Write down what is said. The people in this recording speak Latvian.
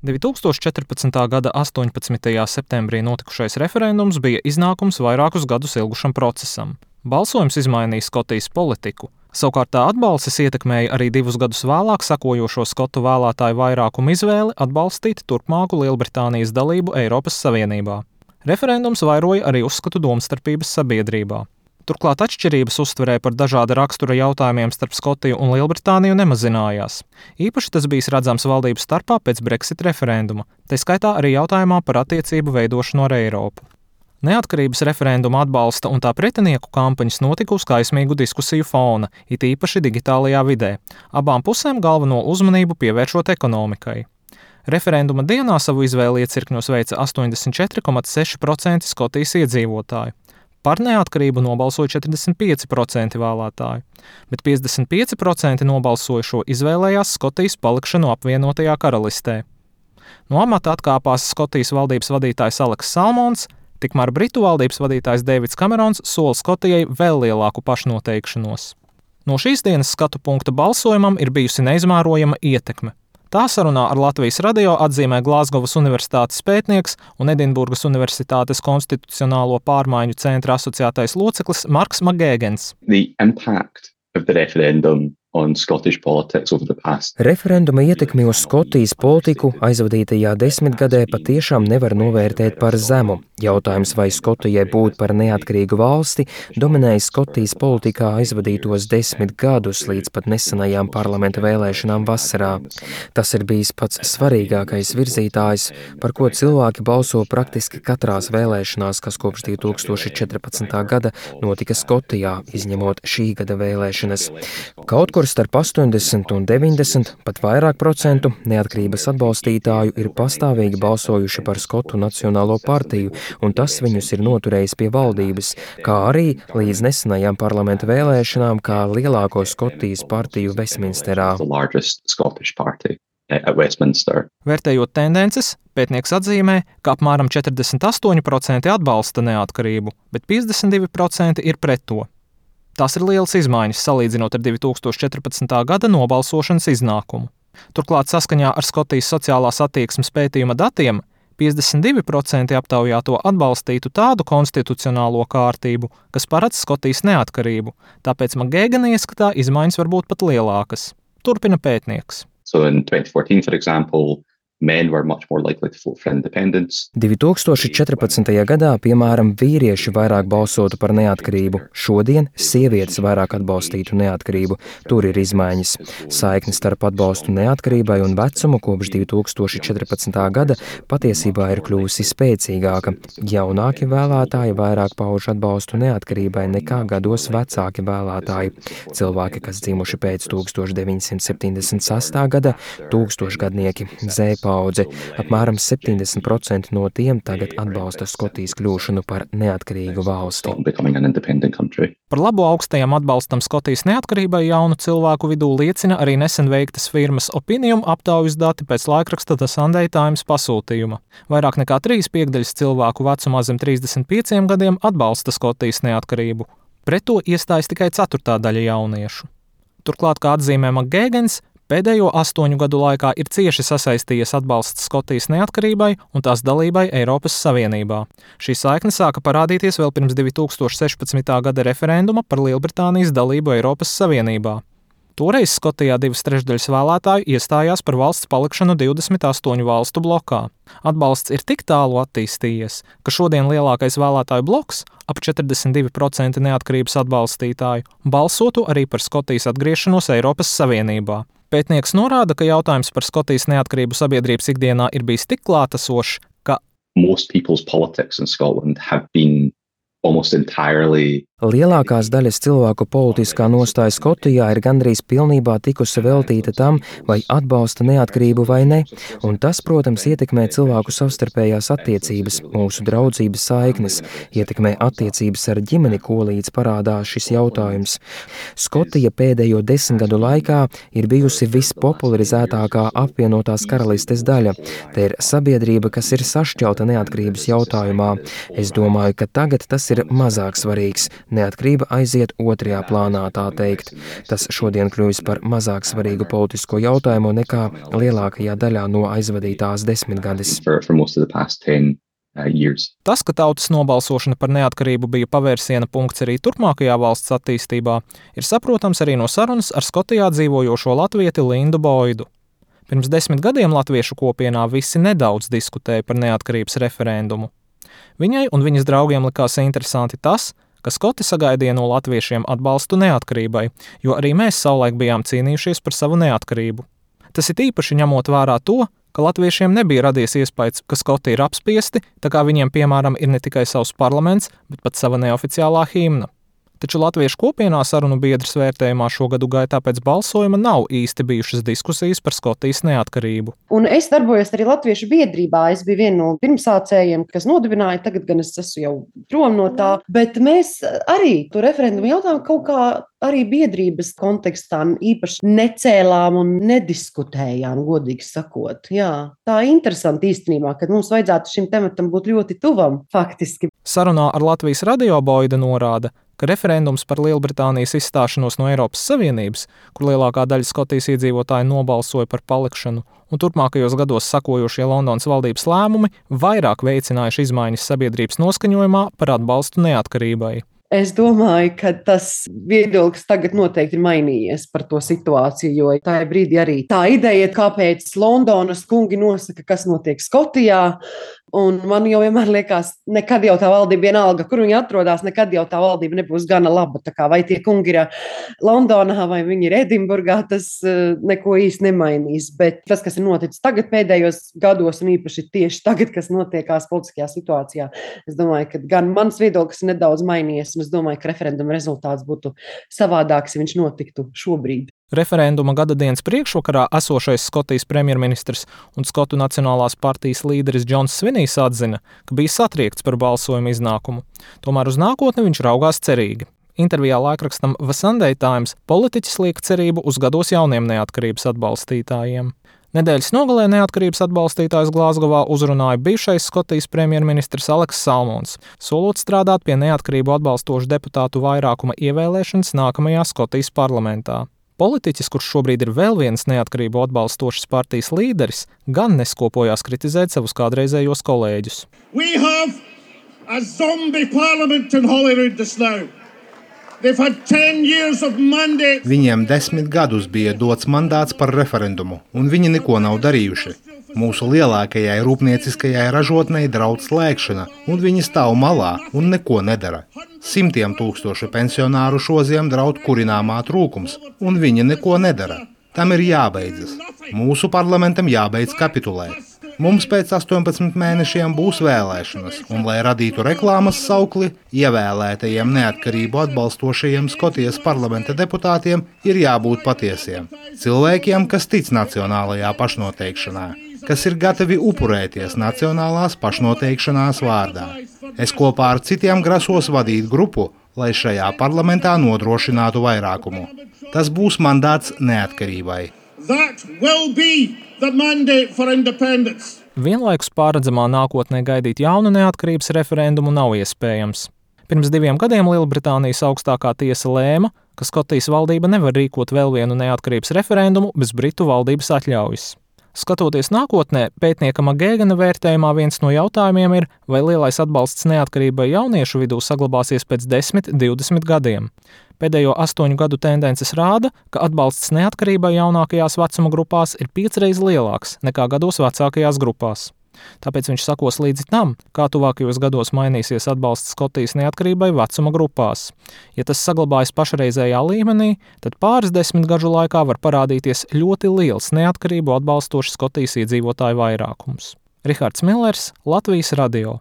2014. gada 18. septembrī notikušais referendums bija iznākums vairākus gadus ilgušam procesam. Balsojums izmainīja Skotijas politiku. Savukārt tā atbalstis ietekmēja arī 2 gadus vēlāk sekojošo skotu vēlētāju vairākumu izvēli atbalstīt turpmāku Lielbritānijas dalību Eiropas Savienībā. Referendums vairoja arī uzskatu domstarpības sabiedrībā. Turklāt atšķirības uztverē par dažāda rakstura jautājumiem starp Skotiju un Lielbritāniju nemazinājās. Īpaši tas bijis redzams valdības starpā pēc Brexit referenduma, tai skaitā arī jautājumā par attiecību veidošanu ar Eiropu. Neatkarības referenduma atbalsta un tā pretinieku kampaņas notika uz kaismīgu diskusiju fona, it īpaši digitālajā vidē, abām pusēm galveno uzmanību pievēršot ekonomikai. Referenduma dienā savu izvēli iecirkņos veica 84,6% Skotijas iedzīvotāju. Par neatkarību nobalsoja 45% vēlētāju, bet 55% nobalsojušo izvēlējās Skotijas palikšanu apvienotajā karalistē. No amata atkāpās Skotijas valdības vadītājs Aleks Salmons, tikmēr Britu valdības vadītājs Deivids Kamerons sola Skotijai vēl lielāku pašnoteikšanos. No šīs dienas skatu punkta balsojumam ir bijusi neizmērojama ietekme. Tā sarunā ar Latvijas radio atzīmē Glāzgovas Universitātes pētnieks un Edinburgas Universitātes konstitucionālo pārmaiņu centra asociētais loceklis Marks Magēgens. The impact of the referendum on Scottish politics over the past. Referenduma ietekmi uz Skotijas politiku aizvadītajā desmitgadē patiešām nevar novērtēt par zemu. Jautājums, vai Skotijai būt par neatkarīgu valsti, dominēja Skotijas politikā aizvadītos 10 gadus līdz pat nesenajām parlamenta vēlēšanām vasarā. Tas ir bijis pats svarīgākais virzītājs, par ko cilvēki balso praktiski katrās vēlēšanās, kas kopš 2014. gada notika Skotijā, izņemot šī gada vēlēšanas. Kaut kur starp 80 un 90, pat vairāk procentu neatkarības atbalstītāju ir pastāvīgi balsojuši par Skotu Nacionālo partiju, un tas viņus ir noturējis pie valdības, kā arī līdz nesenajām parlamenta vēlēšanām kā lielāko Skotijas partiju Westminsterā. Vērtējot tendences, pētnieks atzīmē, ka apmēram 48% atbalsta neatkarību, bet 52% ir pret to. Tās ir lielas izmaiņas salīdzinot ar 2014. gada nobalsošanas iznākumu. Turklāt saskaņā ar Skotijas sociālās attieksmes pētījuma datiem 52% aptaujāto atbalstītu tādu konstitucionālo kārtību, kas paredz Skotijas neatkarību, tāpēc Magēgena ieskatā izmaiņas var būt pat lielākas. Turpina pētnieks. So in 2014, for example, men were much more likely to vote for independence. 2014. gadā, piemēram, vīrieši vairāk balsotu par neatkarību. Šodien sievietes vairāk atbalstītu neatkarību. Tur ir izmaiņas. Saikne starp atbalstu neatkarībai un vecumu kopš 2014. gada patiesībā ir kļūsi spēcīgāka. Jaunāki vēlētāji vairāk pauž atbalstu neatkarībai nekā gados vecāki vēlētāji. Cilvēki, kas dzimuši pēc 1976. gada, tūkstošgadnieki, paudze. Apmēram 70% no tiem tagad atbalsta Skotijas kļūšanu par neatkarīgu valsti. Par labu augstajam atbalstam Skotijas neatkarībai jaunu cilvēku vidū liecina arī nesen veiktas firmas Opinium aptaujas dati pēc laikraksta The Sunday Times pasūtījuma. Vairāk nekā 3/5 cilvēku vecumā zem 35 gadiem atbalsta Skotijas neatkarību. Pret to iestājas tikai 1/4 jauniešu. Turklāt, kā atzīmē Magēgens, pēdējo 8 gadu laikā ir cieši sasaistījies atbalsts Skotijas neatkarībai un tās dalībai Eiropas Savienībā. Šī saikne sāka parādīties vēl pirms 2016. gada referenduma par Lielbritānijas dalību Eiropas Savienībā. Toreiz Skotijā 2/3 vēlētāju iestājās par valsts palikšanu 28 valstu blokā. Atbalsts ir tik tālu attīstījies, ka šodien lielākais vēlētāju bloks, ap 42% neatkarības atbalstītāju, balsotu arī par Skotijas atgriešanos Eiropas Savienībā. Pētnieks norāda, ka jautājums par Skotijas neatkarību sabiedrības ikdienā ir bijis tik klātesošs, ka most people's politics in Scotland have been almost entirely. Lielākās daļas cilvēku politiskā nostāja Skotijā ir gandrīz pilnībā tikusi veltīta tam, vai atbalsta neatkarību vai ne, un tas, protams, ietekmē cilvēku savstarpējās attiecības, mūsu draudzības saiknes, ietekmē attiecības ar ģimeni, ko līdz parādās šis jautājums. Skotija pēdējo 10 gadu laikā ir bijusi vispopularizētākā apvienotās karalistes daļa. Te ir sabiedrība, kas ir sašķelta neatkarības jautājumā. Es domāju, ka tagad tas ir mazāk svarīgs. Neatkarība aiziet otrajā plānā, tā teikt. Tas šodien kļuvis par mazāk svarīgu politisko jautājumu nekā lielākajā daļā no aizvadītās desmitgades. Tas, ka tautas nobalsošana par neatkarību bija pavērsiena punkts arī turpmākajā valsts attīstībā, ir saprotams arī no sarunas ar Skotijā dzīvojošo latvieti Lindu Boidu. Pirms 10 gadiem latviešu kopienā visi nedaudz diskutēja par neatkarības referendumu. Viņai un viņas draugiem likās interesanti tas, ka Skoti sagaidīja no latviešiem atbalstu neatkarībai, jo arī mēs savulaik bijām cīnījušies par savu neatkarību. Tas ir īpaši ņemot vērā to, ka latviešiem nebija radies iespējas, ka Skoti ir apspiesti, tā kā viņiem, piemēram, ir ne tikai savs parlaments, bet pat sava neoficiālā himna. Taču latviešu kopienā sarunu biedrs vērtējumā šo gadu gaitā pēc balsojuma nav īsti bijušas diskusijas par Skotijas neatkarību. Un es darbojos arī latviešu biedrībā. Es biju viena no pirmsācējiem, kas nodibināja, tagad gan es esmu jau prom no tā, bet mēs arī to referendumu jautājumu kaut kā arī biedrības kontekstā īpaši necēlām un nediskutējām, godīgi sakot. Jā, tā ir interesanti īstenībā, ka mums vajadzētu šim tematam būt ļoti tuvam faktiski. Sarunā ar Latvijas radio Boida norāda, ka referendums par Lielbritānijas izstāšanos no Eiropas Savienības, kur lielākā daļa Skotijas iedzīvotāji nobalsoja par palikšanu, un turpmākajos gados sakojošie Londonas valdības lēmumi vairāk veicinājuši izmaiņas sabiedrības noskaņojumā par atbalstu neatkarībai. Es domāju, ka tas viedoklis tagad noteikti ir mainījies par to situāciju, jo tajā brīdī arī tā ideja, kāpēc Londonas kungi nosaka, kas notiek Skotijā, un man jau vienmēr liekas, nekad jau tā valdība vienalga, kur viņi atrodas, nekad jau tā valdība nebūs gana laba. Tā kā vai tie kungi ir Londonā vai viņi ir Edinburgā, tas neko īsti nemainīs. Bet tas, kas ir noticis tagad pēdējos gados, un īpaši tieši tagad, kas notiekās politiskajā situācijā, es domāju, ka gan mans viedoklis ir nedaudz mainījies, un es domāju, ka referenduma rezultāts būtu savādāks, ja viņš notiktu šobrīd. Referenduma gadadienas priekšvakarā esošais Skotijas premjerministrs un Skotu Nacionālās partijas līderis Džons Svinijs atzina, ka bija satriekts par balsojumu iznākumu. Tomēr uz nākotni viņš raugās cerīgi. Intervijā laikrakstam The Sunday Times politiķis liek cerību uz gados jauniem neatkarības atbalstītājiem. Nedēļas nogalē neatkarības atbalstītājs Glāzgovā uzrunāja bijušais Skotijas premjerministrs Aleks Salmons, solot strādāt pie neatkarību atbalstošu deputātu vairākuma ievēlēšanas nākamajā Skotijas parlamentā. Politiķis, kurš šobrīd ir vēl viens neatkarību atbalstošas partijas līderis, gan neskopojās kritizēt savus kādreizējos kolēģus. We have a zombie parliament in Holyrood just now. They've had 10 years of mandate. Viņiem 10 gadus bija dots mandāts par referendumu, un viņi neko nav darījuši. Mūsu lielākajai rūpnieciskajai ražotnei draud slēgšana, un viņi stāv malā un neko nedara. Simtiem tūkstošu pensionāru šoziem draud kurināmā trūkums, un viņi neko nedara. Tam ir jābeidzas. Mūsu parlamentam jābeidz kapitulēt. Mums pēc 18 mēnešiem būs vēlēšanas, un, lai radītu reklāmas saukli, ievēlētajiem neatkarību atbalstošajiem Skotijas parlamenta deputātiem ir jābūt patiesiem. Cilvēkiem, kas tic nacionālajā pašnoteikšanā, kas ir gatavi upurēties nacionālās pašnoteikšanās vārdā. Es kopā ar citiem grasos vadīt grupu, lai šajā parlamentā nodrošinātu vairākumu. Tas būs mandāts neatkarībai. Vienlaikus pārredzamā nākotnē gaidīt jaunu neatkarības referendumu nav iespējams. Pirms 2 gadiem Lielbritānijas augstākā tiesa lēma, ka Skotijas valdība nevar rīkot vēl vienu neatkarības referendumu bez Britu valdības atļaujas. Skatoties nākotnē, pētnieka Magēgana vērtējumā viens no jautājumiem ir, vai lielais atbalsts neatkarībai jauniešu vidū saglabāsies pēc 10–20 gadiem. Pēdējo 8 gadu tendences rāda, ka atbalsts neatkarībai jaunākajās vecuma grupās ir 5 reizes lielāks nekā gados vecākajās grupās. Tāpēc viņš sakos līdzi tam, kā tuvākajos gados mainīsies atbalsts Skotijas neatkarībai vecuma grupās. Ja tas saglabājas pašreizējā līmenī, tad pāris 10 gadžu laikā var parādīties ļoti liels neatkarību atbalstošs Skotijas iedzīvotāju vairākums. Rihards Millers, Latvijas radio.